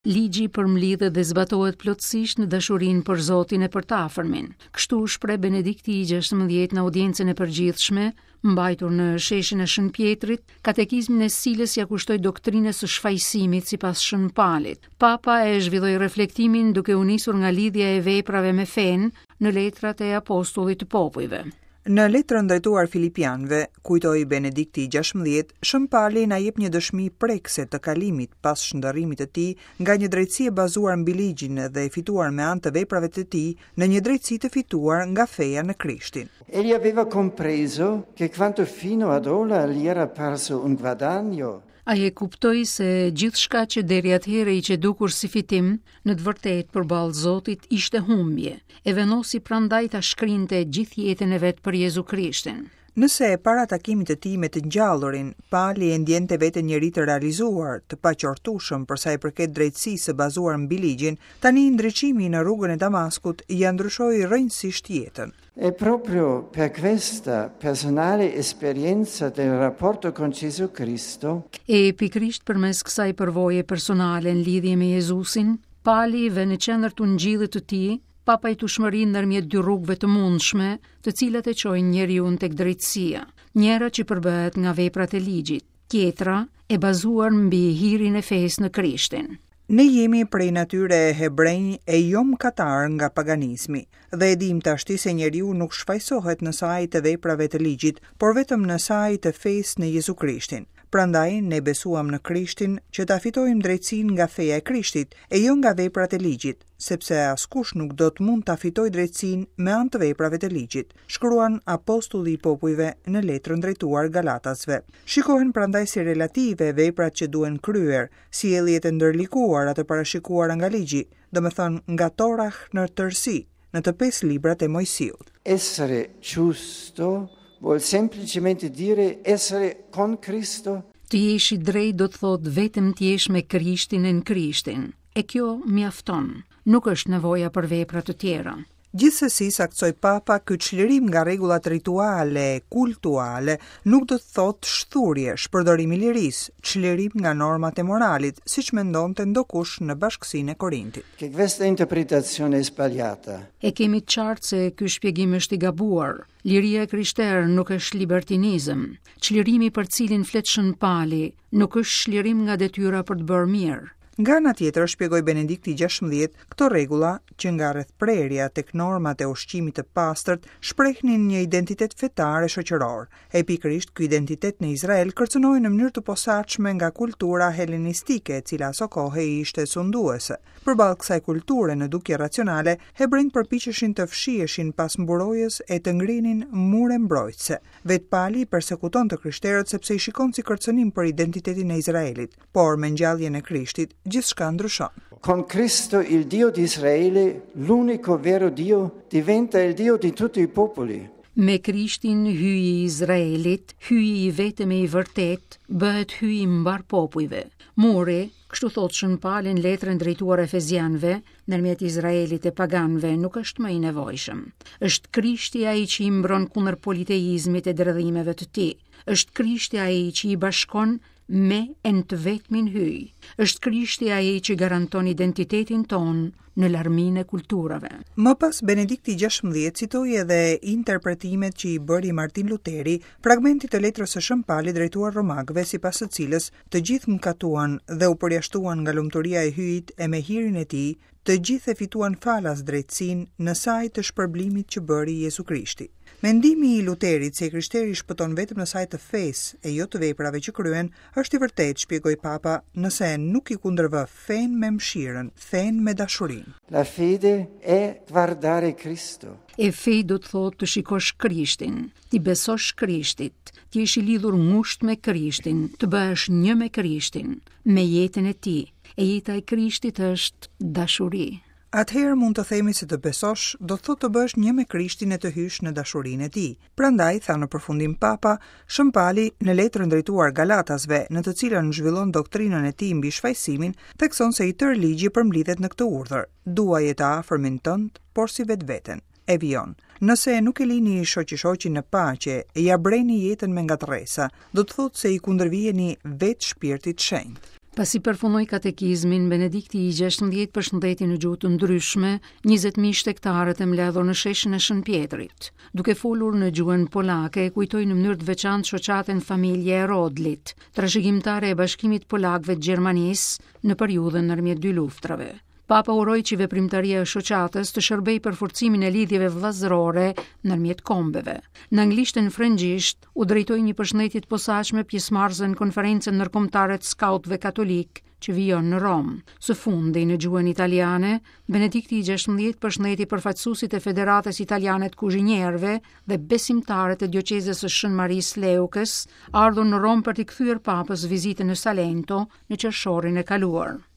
Ligji përmblidhet dhe zbatohet plotësisht në dashurinë për Zotin e për të afërmin. Kështu u shpreh Benedikti i XVI në audiencën e përgjithshme, mbajtur në sheshin e Shën Pjetrit, katekizmin e së cilës ia kushtoi doktrinës së shfajësimit sipas Shën Palit. Papa e zhvilloi reflektimin duke u nisur nga lidhja e veprave me fenë në letrat e apostullit të popujve. Në letrën drejtuar Filipianëve, kujtoi Benedikti i XVI, Shën Pali na jep një dëshmi prekëse të kalimit pas shndërrimit të tij nga një drejtësi e bazuar mbi ligjin dhe e fituar me anë të veprave të tij në një drejtësi të fituar nga feja në Krishtin. Egli aveva compreso che quanto fino ad ora gli era parso un guadagno, Ai e kuptoi se gjithçka që deri atëherë i qe dukur si fitim, në të vërtetë përballë Zotit ishte humbje, e vendosi prandaj ta shkrinte gjithë jetën e vet për Jezu Krishtin. Nëse para takimit të tij me të Ngjallurin, Pali e ndjente veten njeri të realizuar, të paqortueshëm për sa i përket drejtësisë së bazuar mbi ligjin, tani ndriçimi në rrugën e Damaskut ia ndryshoi rrënjësisht jetën. E proprio per questa personale esperienza del rapporto con Gesù Cristo, E pikërisht përmes kësaj përvoje personale në lidhje me Jezusin, Pali vë në qendër të ungjillit të tij papajtueshmërinë ndërmjet dy rrugëve të mundshme, të cilat e çojnë njeriun tek drejtësia. Njëra që përbëhet nga veprat e ligjit, tjetra e bazuar mbi hirin e fesë në Krishtin. Ne jemi prej natyre hebrenj e jo mëkatarë nga paganizmi, dhe e dimë tashti se njeriu nuk shfajësohet në sajë të veprave të ligjit, por vetëm në sajë të fesë në Jezu Krishtin. Prandaj ne besuam në Krishtin që ta fitojmë drejtësinë nga feja e Krishtit, e jo nga veprat e ligjit, sepse askush nuk do të mund ta fitojë drejtësinë me anë të veprave të ligjit, shkruan apostulli i popujve në letrën drejtuar Galatasve. Shikohen prandaj si relative veprat që duhen kryer, sjelljet e ndërlikuara të parashikuara nga ligji, domethënë nga Torah në tërësi, në të pesë librat e Moisiut. Essere giusto vuol semplicemente dire essere con Cristo. Të jesh i drejtë do të thotë vetëm të jesh me Krishtin e në Krishtin. E kjo mjafton. Nuk është nevoja për vepra të tjera. Gjithsesi, saktësoi Papa, ky çlirim nga rregullat rituale e kultuale nuk do të thotë shthurje, shpërdorim i lirisë, çlirim nga normat e moralit, siç mendonte ndokush në bashkësinë e Korintit. Che questa interpretazione è sbagliata. E kemi të qartë se ky shpjegim është i gabuar. Liria e krishterë nuk është libertinizëm. Çlirimi për të cilin flet Shën Pali nuk është çlirim nga detyra për të bërë mirë. Nga ana tjetër, shpjegoi Benedikti XVI, këto rregulla, që nga rrethprerja tek normat e ushqimit të pastërt, shprehnin një identitet fetar e shoqëror. E pikërisht ky identitet në Izrael kërcënohej në mënyrë të posaçme nga kultura helenistike, e cila asokohe ishte sunduese. Përballë kësaj kulture në dukje racionale, hebrenjtë përpiqeshin të fshiheshin pas mburojës e të ngrinin mure mbrojtëse. Vetë Pali i persekuton të krishterët sepse i shikon si kërcënim për identitetin e Izraelit. Por me ngjalljen e Krishtit, gjithçka ndryshon. Con Cristo il Dio di Israele, l'unico vero Dio, diventa il Dio di tutti i popoli. Me Krishtin Hyji i Izraelit, Hyji i vetëm e i vërtetë, bëhet Hyji i mbarë popujve. Muri, kështu thotë Shën Pali në letrën drejtuar Efezianëve, ndërmjet Izraelit e paganëve nuk është më i nevojshëm. Është Krishti ai që i mbron kundër politeizmit e dredhimeve të tij. Është Krishti ai që i bashkon me e në të vetmin Hyj. Është Krishti ai që garanton identitetin tonë në larminë e kulturave. Më pas Benedikti XVI citoi edhe interpretimet që i bëri Martin Luteri fragmentit të letrës së Shën Palit drejtuar Romakëve sipas së cilës të gjithë mëkatuan dhe u përjashtuan nga lumturia e Hyjit e me hirin e tij Të gjithë e fituan falas drejtësinë në sajë të shpërblimit që bëri Jezu Krishti. Mendimi i Luterit se i krishteri shpëton vetëm në sajë të fesë e jo të veprave që kryen, është i vërtetë, shpjegoi Papa, nëse nuk i kundërvë fenë me mëshirën, fenë me dashurinë. La fede è guardare Cristo. E fe do të thotë të shikosh Krishtin, t'i besosh Krishtit, të jesh i lidhur ngushtë me Krishtin, të bëhesh një me Krishtin, me jetën e tij. E jeta e Krishtit është dashuri. Atëherë mund të themi se të besosh do të thotë të bëhesh një me Krishtin e të hysh në dashurinë e tij. Prandaj, tha në përfundim Papa, Shën Pali në letrën drejtuar Galatasve, në të cilën zhvillon doktrinën e tij mbi shfajësimin, thekson se i tërë ligji përmblidhet në këtë urdhër, Duaje të afërmin tënd, porsi vetveten. E vijon, Nëse nuk e lini shoqi-shoqin në paqe e ia breni jetën me ngatërresa, do të thotë se i kundërviheni vetë Shpirtit Shenjt. Pasi përfundoi katekizmin, Benedikti i 16 përshëndeti në gjuhë të ndryshme 20.000 shtegtarët e mbledhur në sheshin e Shën Pjetrit. Duke folur në gjuhën polake, kujtoi në mënyrë të veçantë shoqatën Familja e Rodlit, trashëgimtare e Bashkimit të Polakëve të Gjermanisë në periudhën ndërmjet dy luftrave. Papa uroi që veprimtaria e shoqatës të shërbejë për forcimin e lidhjeve vëllazërore ndërmjet kombeve. Në anglisht e në frëngjisht u drejtoi një përshëndetje të posaçme pjesëmarrësve në konferencën ndërkombëtare të skautëve katolikë që vijon në Romë. Së fundi, në gjuhën italiane, Benedikti i 16 përshëndeti përfaqësuesit e Federatës Italiane të Kuzhinierëve dhe besimtarët e dioqezës së Shën Marisë Leukës, ardhur në Romë për t'i kthyer Papës vizitën në Salento në qershorin e kaluar.